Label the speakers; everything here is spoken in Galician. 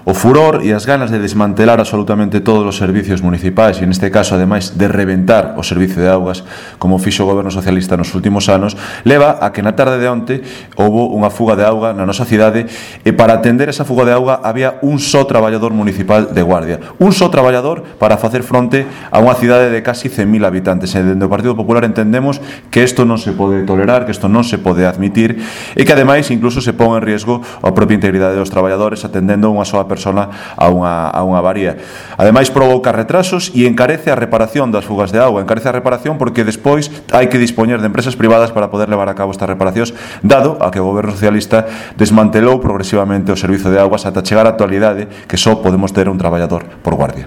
Speaker 1: O furor e as ganas de desmantelar absolutamente todos os servicios municipais, e neste caso, ademais, de reventar o servicio de augas, como fixo o goberno socialista nos últimos anos, leva a que na tarde de onte houbo unha fuga de auga na nosa cidade, e para atender esa fuga de auga había un só traballador municipal de Guardia, un só traballador para facer fronte a unha cidade de casi 100.000 habitantes. E dende o Partido Popular entendemos que isto non se pode tolerar, que isto non se pode admitir, e que ademais incluso se pon en riesgo a propia integridade dos traballadores atendendo unha soa persona a unha avaría. Ademais provoca retrasos e encarece a reparación das fugas de auga, encarece a reparación porque despois hai que dispoñer de empresas privadas para poder levar a cabo estas reparacións, dado a que o goberno socialista desmantelou progresivamente o servizo de augas ata chegar á actualidade que só podemos ter un traballador por guardia.